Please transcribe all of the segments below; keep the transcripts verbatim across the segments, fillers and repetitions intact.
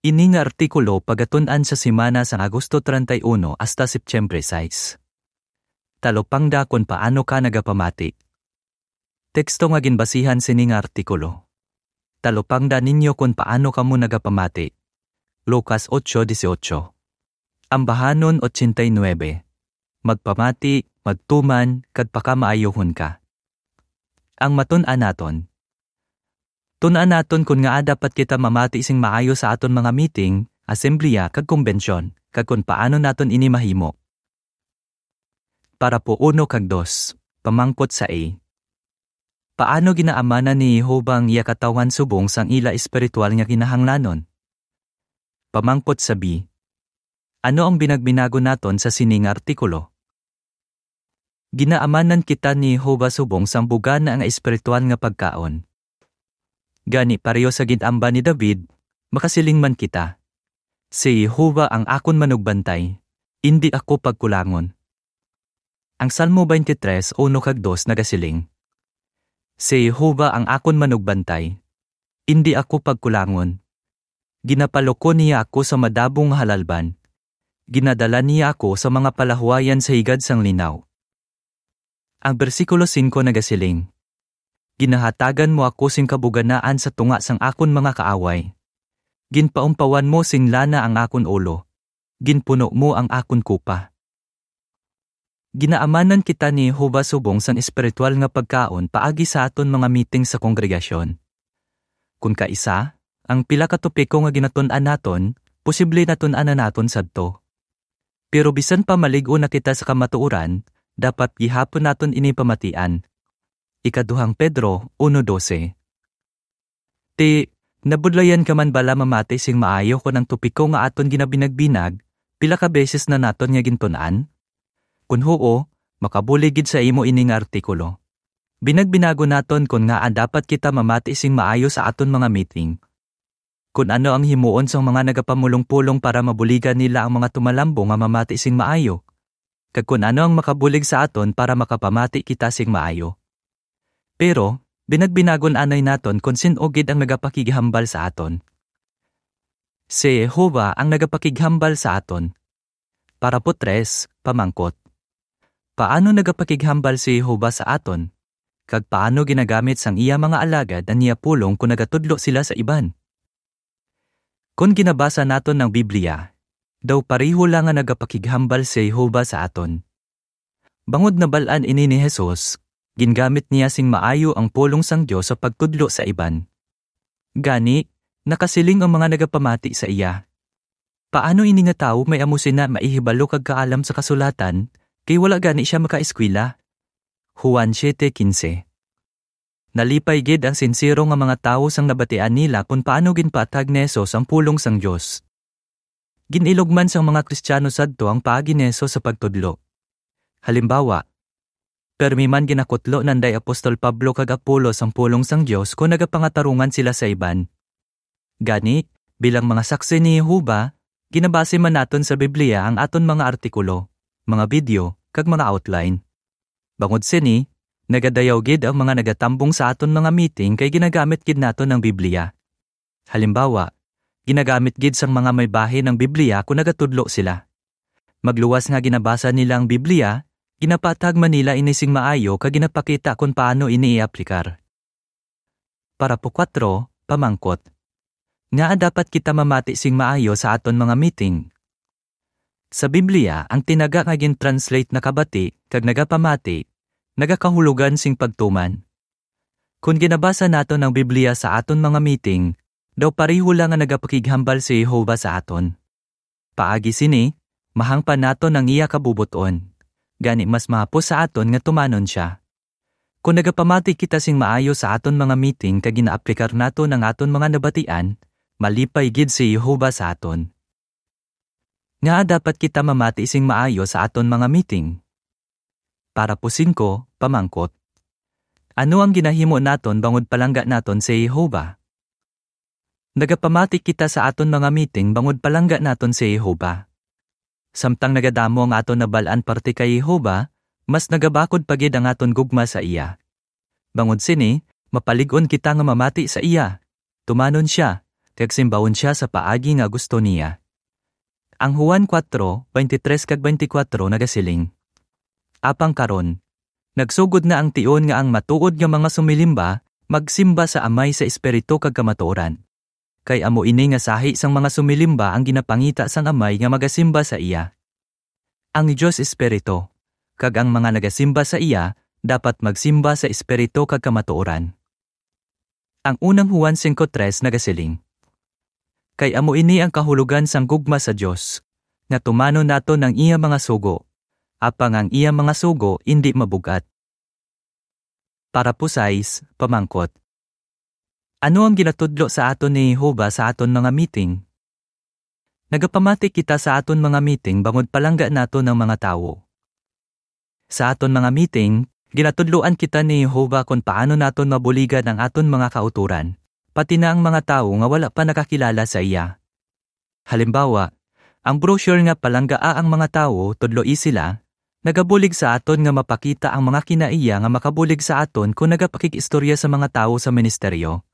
Ini nga artikulo pagatun-an sa semana sang Agosto treinta y uno hasta Setyembre sais. Talupangda kon paano ka nagapamati. Teksto nga ginbasihan sini nga artikulo. Talupangda ninyo kon paano kamo nagapamati. Lucas ocho dieciocho. Ambahanon ochenta y nuebe. Magpamati, magtuman, kag pakamaayohon ka. Ang matun-an naton. Tun-an naton kon ngaa dapat kita mamati sing maayo sa aton mga meeting, asembleya, kag kumbensyon, kag kon paano naton ini mahimo. Parapo uno kag dos, pamangkot sa A. Paano ginaamanan ni Jehovah ang iya katawhan subong sang ila espiritual nga kinahanglanon? Pamangkot sa B. Ano ang binagbinagon naton sa sining artikulo? Ginaamanan kita ni Jehovah subong sang bugana nga espiritual nga pagkaon. Gani, pareho sa gin-amban ni David, makasiling man kita, "Si Jehovah ang akon manugbantay, indi ako pagkulangon." Ang Salmo twenty-three, uno kag dos nagasiling, "Si Jehovah ang akon manugbantay, indi ako pagkulangon. Ginapalukon niya ako sa madabong nga halalban. Ginadala niya ako sa mga palahuayan sa higad sang linaw." Ang bersikulo singko nagasiling, "Ginahatagan mo ako sing kabuganaan sa tunga sang akon mga kaaway. Ginpaumpawan mo sing lana ang akon ulo. Ginpuno mo ang akon kupa." Ginaamanan kita ni Jehovah subong sang espiritual nga pagkaon paagi sa aton mga meeting sa kongregasyon. Kon kaisa, ang pila ka topiko nga ginatun-an naton, posible natun-an na naton sadto. Pero bisan pa malig-on na kita sa kamatuoran, dapat gihapon naton ini pamatian. Ikaduhang Pedro uno doce. Ti, nabudlayan ka man bala mamati sing maayo kon ang topiko nga aton ginabinagbinag pila ka beses na naton nga gintun-an? Kon huo, makabulig gid sa imo ini nga artikulo. Binagbinagon naton kon ngaa dapat kita mamati sing maayo sa aton mga meeting. Kon ano ang himuon sang mga nagapamulongpulong para mabuligan nila ang mga tumalambong nga mamati sing maayo, kag kon ano ang makabulig sa aton para makapamati kita sing maayo. Pero, binagbinagon anay naton kon sin-o gid ang nagapakighambal sa aton. Si Jehovah ang nagapakighambal sa aton. Parapo tres, pamangkot. Paano nagapakighambal si Jehovah sa aton? Kag paano ginagamit sang iya mga alagad ang iya pulong kon nagatudlo sila sa iban? Kon ginabasa naton ang Biblia, daw pareho lang nga nagapakighambal si Jehovah sa aton. Bangod nabal-an ini ni Jesus, gingamit niya sing maayo ang pulong sang Dios sa pagtudlo sa iban. Gani, nakasiling ang mga nagapamati sa iya, "Paano ini nga tawo may amo sina maihibalo kag kaalam sa kasulatan, kay wala gani sia makaeskwela?" Juan siete quince. Nalipay gid ang sinsero nga mga tawo sang nabatian nila kon paano ginpatag ni Jesus ang pulong sang Dios. Gin-ilog man sang mga Kristiano sadto ang paagi ni Jesus sa pagtudlo. Halimbawa, permi man ginakutlo nanday Apostol Pablo kag Apolos ang pulong sang Dios kon nagapangatarungan sila sa iban. Gani, bilang mga saksi ni Jehovah, ginabase man naton sa Biblia ang aton mga artikulo, mga video, kag mga outline. Bangod sini, nagadayaw gid ang mga nagatambong sa aton mga meeting kay ginagamit gid naton ang Biblia. Halimbawa, ginagamit gid sang mga may bahin ang Biblia kon nagatudlo sila. Magluwas nga ginabasa nila ang Biblia, ginapatag man nila ini sing maayo kag ginapakita kon paano ini i-aplikar. Parapo kuwatro, pamangkot. Ngaa dapat kita mamati sing maayo sa aton mga meeting? Sa Biblia, ang tinaga nga gin-translate na kabati kag nagapamati nagakahulogan sing pagtuman. Kon ginabasa naton ang Biblia sa aton mga meeting, daw pareho lang nga nagapakighambal si Jehovah sa aton. Paagi sini, mahangpan naton ang iya kabubot-on. Gani, mas mahapos sa aton nga tumanon sia. Kon nagapamati kita sing maayo sa aton mga meeting kag ginaaplikar naton ang aton mga nabatian, malipay gid si Jehovah sa aton. Ngaa dapat kita mamati sing maayo sa aton mga meeting? Parapo singko, pamangkot. Ano ang ginahimo naton bangod palangga naton si Jehovah? Nagapamati kita sa aton mga meeting bangod palangga naton si Jehovah. Samtang nagadamo ang aton nabal-an parte kay Jehovah, mas nagabakod pa gid ang aton gugma sa iya. Bangod sini, mapalig-on kita nga mamati sa iya, tumanon sia, kag simbawon sia sa paagi nga gusto niya. Ang Juan kuwatro, twenty-three kag twenty-four nagasiling, "Apang karon, nagsugod na ang tion nga ang matuod nga mga sumilimba magsimba sa Amay sa espiritu kag kamatuoran. Kay amo ini nga sahi sang mga sumilimba ang ginapangita sang Amay nga magasimba sa iya. Ang Dios espiritu, kag ang mga nagasimba sa iya dapat magsimba sa espiritu kag kamatuoran." Ang unang Juan singko tres nagasiling, "Kay amo ini ang kahulogan sang gugma sa Dios, nga tumanon naton ang iya mga sugo, apang ang iya mga sugo indi mabug-at." Parapo sais, pamangkot, ano ang ginatudlo sa aton ni Jehovah sa aton mga meeting? Nagapamati kita sa aton mga meeting bangod palangga naton ang mga tawo. Sa aton mga meeting, ginatudloan kita ni Jehovah kon paano naton mabuligan ang aton mga kautoran, pati na ang mga tawo nga wala pa nakakilala sa iya. Halimbawa, ang brochure nga Palanggaa ang Mga Tawo, Tudloi Sila, nagabulig sa aton nga mapakita ang mga kinaiya nga makabulig sa aton kon nagapakig-istorya sa mga tawo sa ministeryo.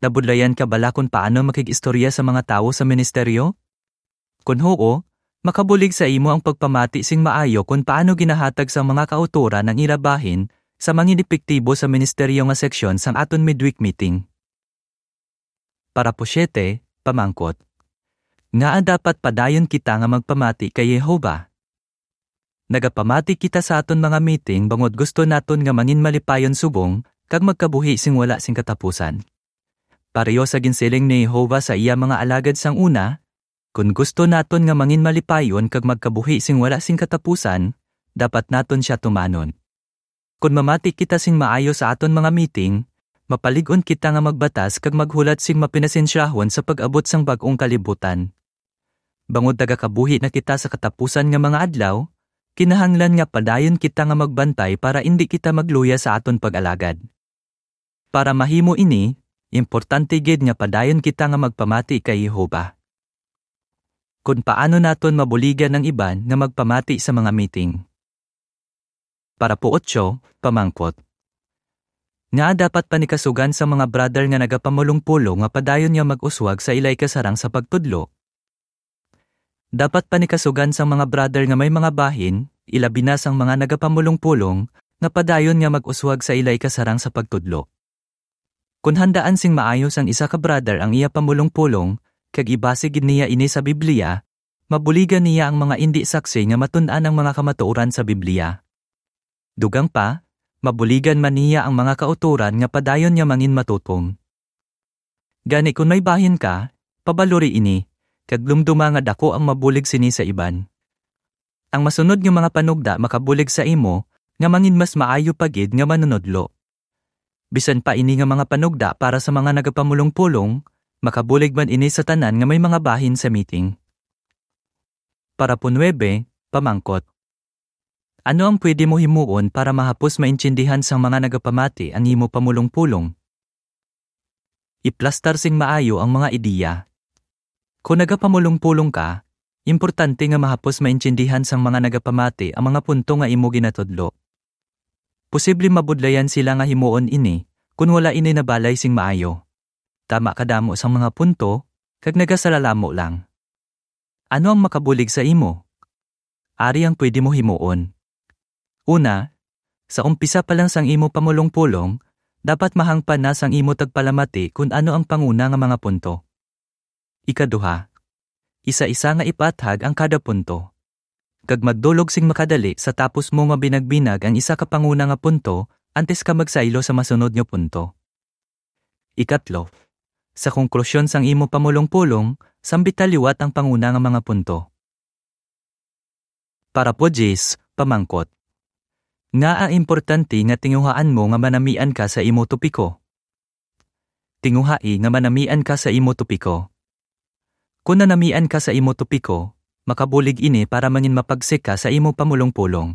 Nabudlayan ka bala kon paano makig-istorya sa mga tawo sa ministeryo? Kon huo, makabulig sa imo ang pagpamati sing maayo kon paano ginahatag sang mga kautoran ang ila bahin sa mangin-epektibo sa ministeryo nga seksyon sang aton midweek meeting. Parapo siete, pamangkot, ngaa dapat padayon kita nga magpamati kay Jehovah? Nagapamati kita sa aton mga meeting bangod gusto naton nga mangin malipayon subong kag magkabuhi sing wala sing katapusan. Pareho sa ginsiling ni Jehovah sa iya mga alagad sang una, kon gusto naton nga mangin malipayon kag magkabuhi sing wala sing katapusan, dapat naton sia tumanon. Kon mamati kita sing maayo sa aton mga meeting, mapalig-on kita nga magbatas kag maghulat sing mapinasensyahon sa pag-abot sang bag-ong kalibutan. Bangod nagakabuhi na kita sa katapusan nga mga adlaw, kinahanglan nga padayon kita nga magbantay para indi kita magluya sa aton pag-alagad. Para mahimo ini, importante gid nga padayon kita nga magpamati kay Jehovah. Kon paano naton mabuligan ang iban nga magpamati sa mga meeting? Parapo otso, pamangkot, ngaa dapat panikasugan sa mga brother nga nagapamulongpulong nga padayon nga mag-uswag sa ilay kasarang sa pagtudlo? Dapat panikasugan sang mga brother nga may mga bahin, ilabi na sang mga nagapamulongpulong, nga padayon nga mag-uswag sa ilay kasarang sa pagtudlo. Kon handaan sing maayo sang isa ka brother ang iya pamulongpulong, kag ibasi gid niya ini sa Biblia, mabuligan niya ang mga indi saksi nga matun-an ang mga kamatuoran sa Biblia. Dugang pa, mabuligan man niya ang mga kautoran nga padayon nga mangin matutom. Gani kon may bahin ka, pabalori ini, kag lumduma nga daku ang mabulig sini sa iban. Ang masunod nga mga panugda makabulig sa imo nga mangin mas maayo pa gid nga manunodlo. Bisan pa ini nga mga panugda para sa mga nagapamulongpulong, makabulig man ini sa tanan nga may mga bahin sa meeting. Parapo nuebe, pamangkot, ano ang pwede mo himuon para mahapos maintindihan sang mga nagapamati ang imo pamulongpulong? Iplastar sing maayo ang mga ideya. Kon nagapamulongpulong ka, importante nga mahapos maintindihan sang mga nagapamati ang mga punto nga imo ginatudlo. Posible mabudlayan sila nga himuon ini kon wala ini nabalay sing maayo. Tama kadamo sang mga punto, kag nagasalalamo lang. Ano ang makabulig sa imo? Ari ang pwede mo himuon. Una, sa umpisa pa lang sang imo pamulongpulong, dapat mahangpan na sang imo tagpalamati kon ano ang panguna nga mga punto. Ikaduha, isa-isa nga ipaathag ang kada punto, kag magdulog sing makadali sa tapos mo mabinagbinag ang isa ka panguna nga punto antes ka magsaylo sa masunod nga punto. Ikatlo, sa konklusyon sang imo pamulongpulong, sambita liwat ang panguna nga mga punto. Parapo diyes, pamangkot, ngaa importante nga tinguhaan mo nga manamian ka sa imo topiko? Tinguhai nga manamian ka sa imo topiko. Kon nanamian ka sa imo topiko, makabulig ini para mangin mapagsik ka sa imo pamulongpulong.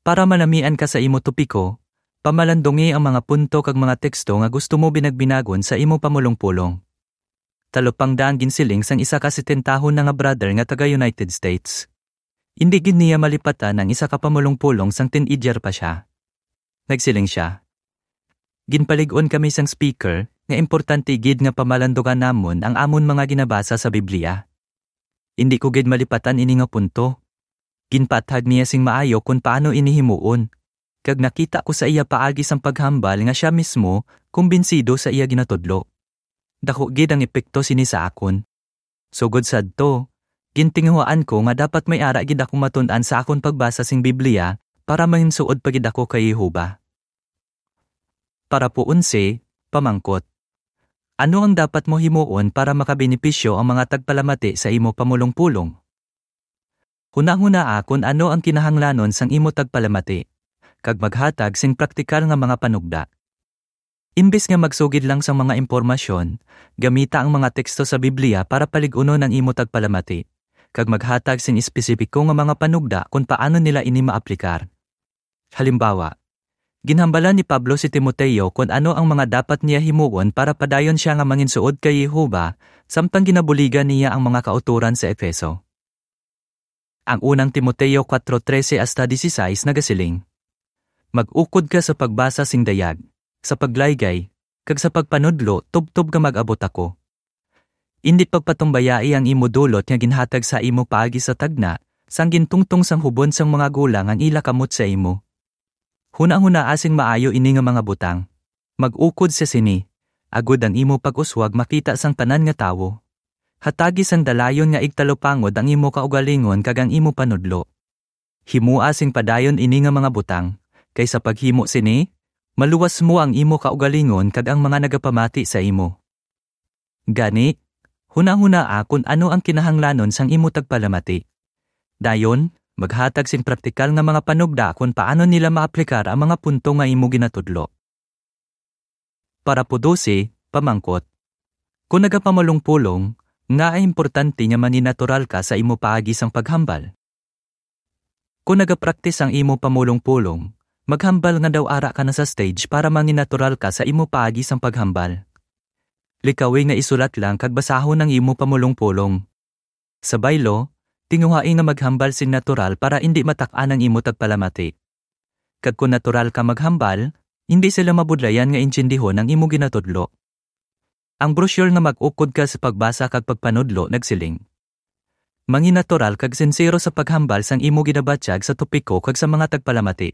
Para manamian ka sa imo topiko, pamalandungi ang mga punto kag mga teksto nga gusto mo binagbinagon sa imo pamulongpulong. Talupangda ang ginsiling sang isa ka setentahon na nga brother nga taga United States. Indi gid niya malipatan ang isa ka pamulongpulong sang teenager pa sia. Nagsiling sia, "Ginpalig-on kami sang speaker, nga importante gid nga pamalandugan namon ang amon mga ginabasa sa Biblia. Indi ko gid malipatan ini nga punto. Ginpaathag niya sing maayo kon paano ini himuon, kag nakita ko sa iya paagi sang paghambal nga sia mismo kumbinsido sa iya ginatudlo. Daku gid ang epekto sini sa akon. Sugod sadto, gintinguhaan ko nga dapat may ara gid ako matun-an sa akon pagbasa sing Biblia para manginsuod pa gid ako kay Jehovah. Parapo onse, pamangkot. Ano ang dapat mo himuon para makabenepisyo ang mga tagpalamati sa imo pamulong-pulong? Hunahunaa kon ano ang kinahanglanon sang imo tagpalamati, kag maghatag sing praktikal nga mga panugda. Imbes nga magsugid lang sang mga impormasyon, gamita ang mga teksto sa Biblia para palig-unon ang imo tagpalamati, kag maghatag sing espesipiko nga mga panugda kon paano nila ini maaplikar. Halimbawa, ginhambalan ni Pablo si Timoteo kon ano ang mga dapat niya himuon para padayon sia nga manginsuod kay Jehovah, samtang ginabuligan niya ang mga kautoran sa Efeso. Ang unang Timoteo kuwatro trese hasta disisais nagasiling, "Mag-ukod ka sa pagbasa sing dayag, sa paglaygay, kag sa pagpanudlo tubtob nga mag-abot ako." Indi pagpatumbayai ang imo dulot nga ginhatag sa imo paagi sa tagna, sang gintungtong sang hubon sang mga gulang ang ila kamot sa imo. Hunahunaa sing maayo ini nga mga butang. Mag-ukod sa sini, agod ang imo pag-uswag makita sang tanan nga tawo. Hatagi sang dalayon nga igtalupangod ang imo kaugalingon kag ang imo panudlo. Himoa sing padayon ini nga mga butang, kay sa paghimo sini, maluwas mo ang imo kaugalingon kag ang mga nagapamati sa imo. Gani, hunahunaa kon ano ang kinahanglanon sang imo tagpalamati. Dayon, maghatag sing praktikal nga mga panugda kon paano nila maaplikar ang mga punto nga imo ginatudlo. Parapo dose, pamangkot. Kon nagapamulong-pulong, ngaa importante nga manginatural ka sa imo paagi sang paghambal? Kon nagapraktis ang imo pamulong-pulong, maghambal nga daw ara ka na sa stage para manginatural ka sa imo paagi sang paghambal. Likawi nga isulat lang kag basahon ang imo pamulong-pulong. Sa baylo, tinguhai nga maghambal sing natural para indi matak-an ang imo tagpalamati. Kag kon natural ka maghambal, indi sila mabudlayan nga intindihon ang imo ginatudlo. Ang brochure nga Mag-ukod ka sa pagbasa kag pagpanudlo nagsiling, "Manginatural kag sinsero sa paghambal sang imo ginabatyag sa topiko kag sa mga tagpalamati."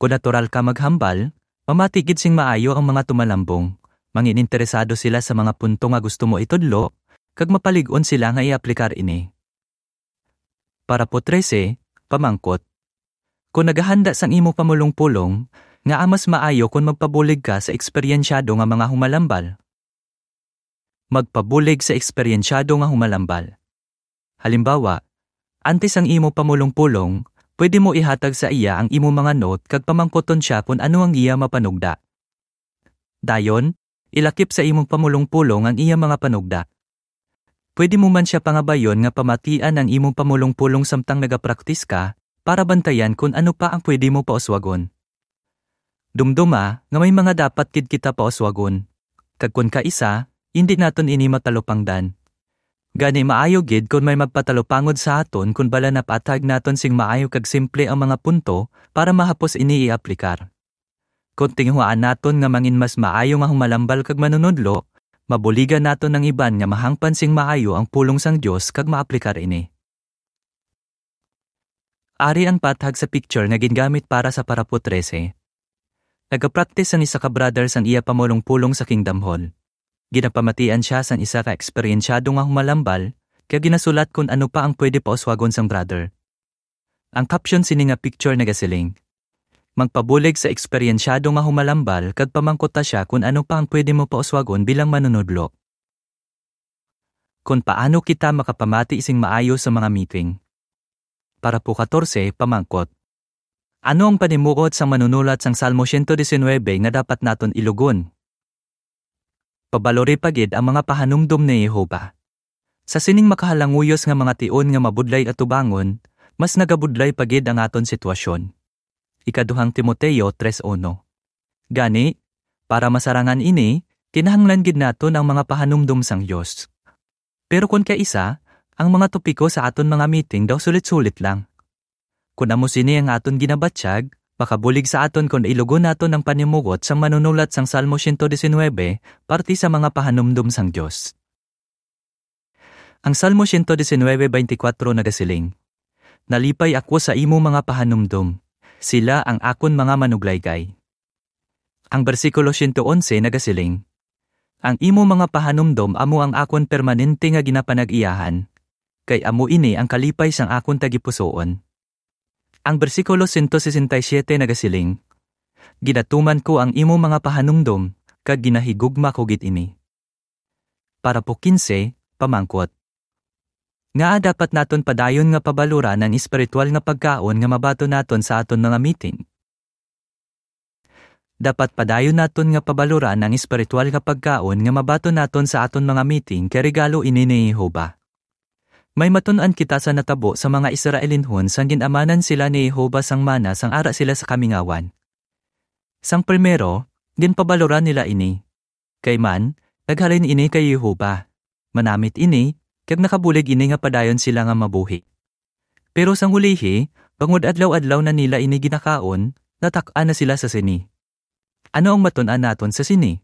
Kon natural ka maghambal, mamati gid sing maayo ang mga tumalambong, mangininteresado sila sa mga punto nga gusto mo itudlo, kag mapalig-on sila nga iaplikar ini. Parapo trese, pamangkot. Kon nagahanda sang imo pamulong-pulong, ngaa mas maayo kon magpabulig ka sa eksperyensyado nga mga humalambal? Magpabulig sa eksperyensyado nga humalambal. Halimbawa, antes ang imo pamulong-pulong, pwede mo ihatag sa iya ang imo mga note kag pamangkuton sia kon ano ang iya mapanugda. Dayon, ilakip sa imong pamulong-pulong ang iya mga panugda. Pwede mo man sia pangabayon nga pamatian ang imong pamulong-pulong samtang nagapraktis ka, para bantayan kon ano pa ang pwede mo pauswagon. Dumdoma nga may mga dapat gid kita pauswagon. Kag kon kaisa, indi naton ini matalupangdan. Gani, maayo gid kon may magpatalupangod sa aton kon bala napaathag naton sing maayo kag simple ang mga punto para mahapos ini iaplikar. Kon tinguhaan naton nga mangin mas maayo nga humalambal kag manunodlo, mabuligan naton ang iban nga mahangpan sing maayo ang pulong sang Dios kag maaplikar ini. Ari ang pathag sa picture nga gingamit para sa parapo trese. Nagapraktis ang isa ka brother sang iya pamulong-pulong sa Kingdom Hall. Ginapamatian sia sang isa ka eksperyensyado nga humalambal, kag ginasulat kon ano pa ang pwede pauswagon sang brother. Ang caption sini nga picture nagasiling, "Magpabulig sa eksperyensyado nga humalambal kag pamangkuta sia kon ano pa ang pwede mo pauswagon bilang manunodlo." Kon paano kita makapamati sing maayo sa mga meeting? Parapo katorse, pamangkot. Ano ang panimuot sang manunulat sang Salmo siyento disinwebe nga dapat naton ilugon? Pabalori pa gid ang mga pahanumdom ni Jehovah. Sa sining makahalanguyos nga mga tion nga mabudlay atubangon, mas nagabudlay pa gid ang aton sitwasyon. Ikaduhang Timoteo tres uno. Gani, para masarangan ini, kinahanglan gid naton ang mga pahanumdom sang Dios. Pero kon kaisa, ang mga topiko sa aton mga meeting daw sulit-sulit lang. Kon amo sini ang aton ginabatyag, makabulig sa aton kon ilugon naton ang panimugot sang manunulat sang Salmo siyento disinwebe, parte sa mga pahanumdom sang Dios. Ang Salmo siyento disinwebe, twenty-four nagasiling, "Nalipay ako sa imo mga pahanumdom, sila ang akon mga manuglaygay." Ang bersikulo siyento onse nagasiling, "Ang imo mga pahanumdom amo ang akon permanente nga ginapanag-iyahan, kay amo ini ang kalipay sang akon tagipusoon." Ang bersikulo siyento sesenta y siyete nagasiling, "Ginatuman ko ang imo mga pahanumdom, kag ginahigugma ko gid ini." Parapo quince, pamangkot. Ngaa dapat naton padayon nga pabaluran ang espiritual nga pagkaon nga mabaton naton sa aton mga meeting? Dapat padayon naton nga pabaluran ang espiritual nga pagkaon nga mabaton naton sa aton mga meeting, kay regalo ini ni Jehovah. May matun-an kita sa natabo sa mga Israelinhon sang gin-amanan sila ni Jehovah sang mana sang ara sila sa kamingawan. Sang primero, ginpabaluran nila ini. Kay man, naghalin ini kay Jehovah. Manamit ini, kag nakabulig ini nga padayon sila nga mabuhi. Pero sang ulihi, bangod adlaw-adlaw na nila ini ginakaon, natak-an na sila sa sini. Ano ang matun-an naton sa sini?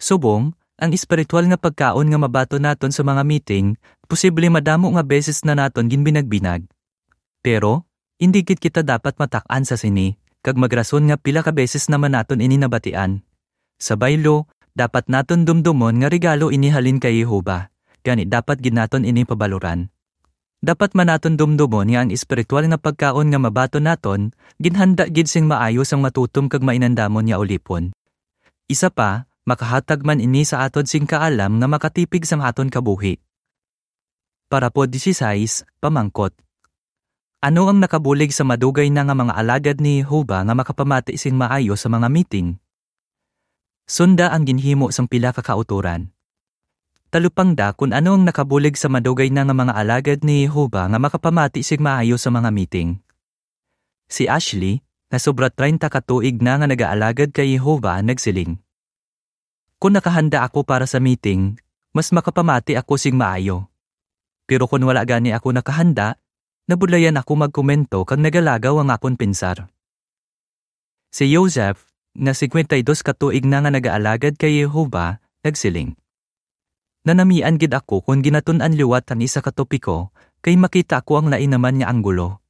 Subong, ang espiritual nga pagkaon nga mabaton naton sa mga meeting, posible madamo nga beses na naton ginbinagbinag. Pero, indi gid kita dapat matak-an sa sini, kag magrason nga pila ka beses naman naton ini nabatian. Sa baylo, dapat naton dumdomon nga regalo ini halin kay Jehovah, gani dapat gid naton ini pabaluran. Dapat man naton dumdomon nga ang espiritual nga pagkaon nga mabaton naton, ginhanda gid sing maayo sang matutom kag mainandamon nga ulipon. Isa pa, makahatag man ini sa aton sing kaalam nga makatipig sang aton kabuhi. Parapo dieciséis, pamangkot. Ano ang nakabulig sa madugay na nga mga alagad ni Jehovah nga makapamati sing maayo sa mga meeting? Sunda ang ginhimo sang pila ka kautoran. Talupangda kon ano ang nakabulig sa madugay na nga mga alagad ni Jehovah nga makapamati sing maayo sa mga meeting. Si Ashley, nga sobra treinta ka tuig na nga nagaalagad kay Jehovah, nagsiling, "Kon nakahanda ako para sa meeting, mas makapamati ako sing maayo. Pero kon wala gani ako nakahanda, nabudlayan ako magkomento kag nagalagaw ang akon pensar." Si Joseph, nga singkwenta y dos ka tuig na nga nagaalagad kay Jehovah, nagsiling, "Nanamian gid ako kon ginatun-an liwat ang isa ka topiko, kay makita ko ang lain naman nga anggulo.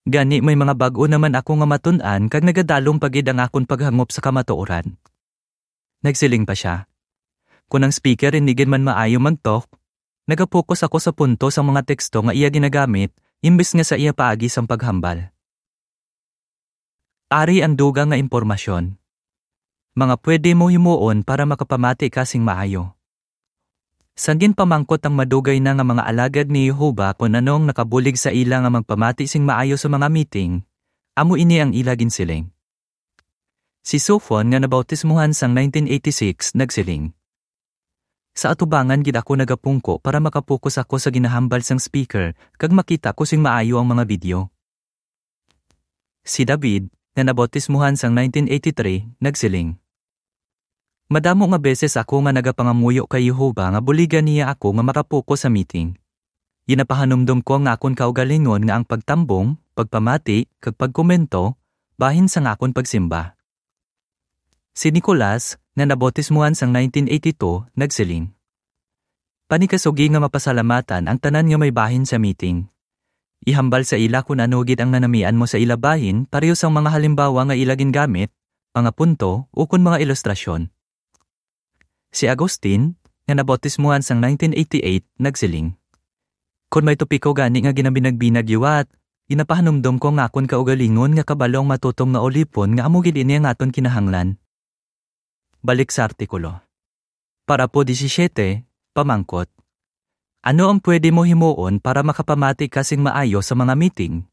Gani may mga bag-o naman ako nga matun-an kag nagadalom pa gid ang akon paghangop sa kamatuoran." Nagsiling pa sia, "Kon ang speaker indi gid man maayo mag-talk, nagapokus ako sa punto sang mga teksto nga iya ginagamit imbes nga sa iya paagi sang paghambal." Ari ang dugang nga impormasyon. Mga pwede mo himuon para makapamati ka sing maayo. Sang ginpamangkot ang madugay na nga mga alagad ni Jehovah kon ano ang nakabulig sa ila nga magpamati sing maayo sa mga meeting, amo ini ang ila ginsiling. Si Sofon, nga nabautismuhan sang nineteen eighty-six, nagsiling, "Sa atubangan gid ako nagapungko para makapokus ako sa ginahambal sang speaker kag makita ko sing maayo ang mga video." Si David, nga nabautismuhan sang nineteen eighty-three, nagsiling, "Madamo nga beses ako nga nagapangamuyo kay Jehovah nga buligan niya ako nga makapokus sa meeting. Ginapahanumdom ko ang akon kaugalingon nga ang pagtambong, pagpamati, kag pagkomento bahin sang akon pagsimba." Si Nicolas, nga nabautismuhan sang nineteen eighty-two, nagsiling, "Panikasugi nga mapasalamatan ang tanan nga may bahin sa meeting. Ihambal sa ila kon ano gid ang nanamian mo sa ila bahin, pareho sang mga halimbawa nga ila gingamit, mga punto, ukon mga ilustrasyon." Si Agustin, nga nabautismuhan sang nineteen eighty-eight, nagsiling, "Kon may topiko gani nga ginabinagbinag liwat, ginapahanumdom ko ang akon kaugalingon nga kabalo ang matutom nga ulipon nga amo gid ini ang aton kinahanglan." Balik sa artikulo. Parapo disisyete, pamangkot. Ano ang pwede mo himuon para makapamati ka sing maayo sa mga meeting?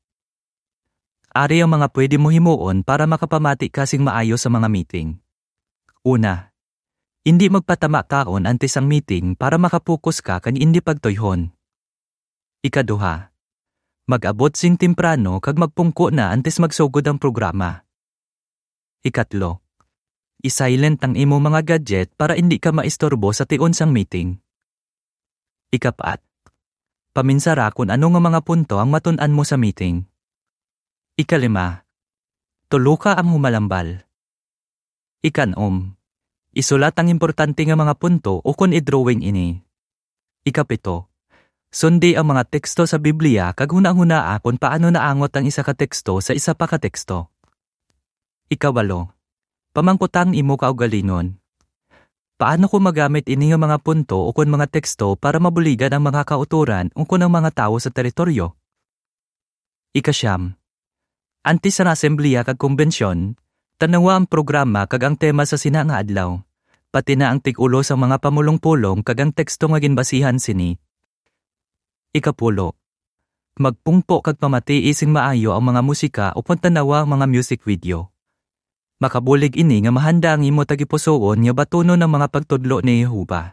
Ari ang mga pwede mo himuon para makapamati ka sing maayo sa mga meeting. Una, indi magpatama kaon antes ang meeting para makapokus ka kag indi pagtuyhon. Ikaduha, mag-abot sing temprano kag magpungko na antes magsugod ang programa. Ikatlo, i-silent ang imo mga gadget para indi ka maisturbo sa tion sang meeting. Ikapat, paminsara kon ano nga mga punto ang matun-an mo sa meeting. Ikalima, Tuloka ang humalambal. Ikanom, isulat ang importante nga mga punto ukon i-drawing ini. Ikapito, sundi ang mga teksto sa Biblia kag hunahunaa kon paano naangot ang isa ka teksto sa isa pa ka teksto. Ikawalo, pamangkota ang imo kaugalingon. Paano ko magamit ini nga mga punto ukon mga teksto para mabuligan ang mga kautoran ukon ang mga tawo sa teritoryo? Ikasiyam, antes sang asembleya kag kumbensyon, tan-awa ang programa kag ang tema sa sina nga adlaw, pati na ang tig-ulo sang mga pamulong-pulong kag ang teksto nga ginbasihan sini. Ikapulo, magpungpo kag pamatii sing maayo ang mga musika ukon tan-awa ang mga music video. Makabulig ini nga mahanda ang imo tagipusoon nga batunon ang mga pagtudlo ni Jehovah.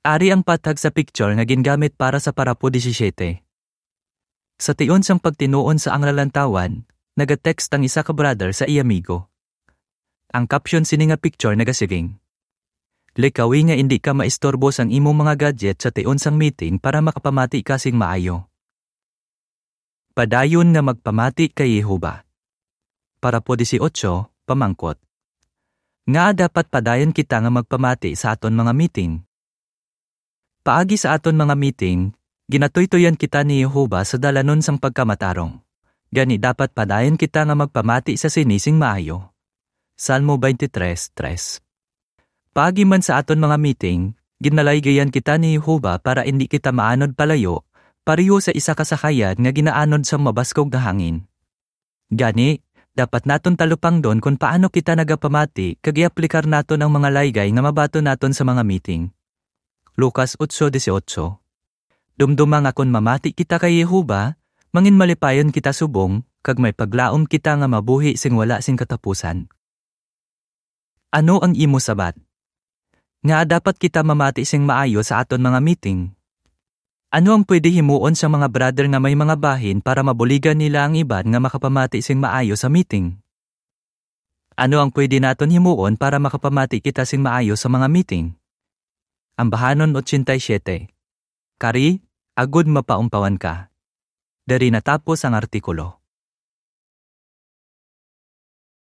Ari ang pathag sa picture nga gingamit para sa parapo disisiete. Sa tion sang pagtinuon sa ang lalantawan, nagatext ang isa ka brother sa iya amigo. Ang caption sini nga picture nagasiling, "Likawi nga indi ka maistorbo sang imong mga gadget sa tion sang meeting para makapamati ka sing maayo." Padayon nga magpamati kay Jehovah. Parapo dieciocho, pamangkot, ngaa dapat padayon kita nga magpamati sa aton mga meeting? Paagi sa aton mga meeting, ginatuytoyan kita ni Jehovah sa dalanon sang pagkamatarong. Gani dapat padayon kita nga magpamati sa sini sing maayo. Salmo twenty-three tres. Paagi man sa aton mga meeting, ginalaygayan kita ni Jehovah para indi kita maanod palayo, pareho sa isa ka sakayan nga ginaanod sang mabaskog nga hangin. Gani, dapat naton talupangdon kon paano kita nagapamati kag i-aplikar naton ang mga laygay nga mabaton naton sa mga meeting. Lucas ocho dieciocho. Dumduma nga kon mamati kita kay Jehovah, manginmalipayon kita subong, kag may paglaom kita nga mabuhi sing wala sing katapusan. Ano ang imo sabat? Ngaa dapat kita mamati sing maayo sa aton mga meeting? Ano ang pwede himuon sa mga brother nga may mga bahin para mabuligan nila ang iban nga makapamati sing maayo sa meeting? Ano ang pwede naton himuon para makapamati kita sing maayo sa mga meeting? Ambahanon ochenta y siete. Kari, agud mapaumpawan ka. Diri natapos ang artikulo.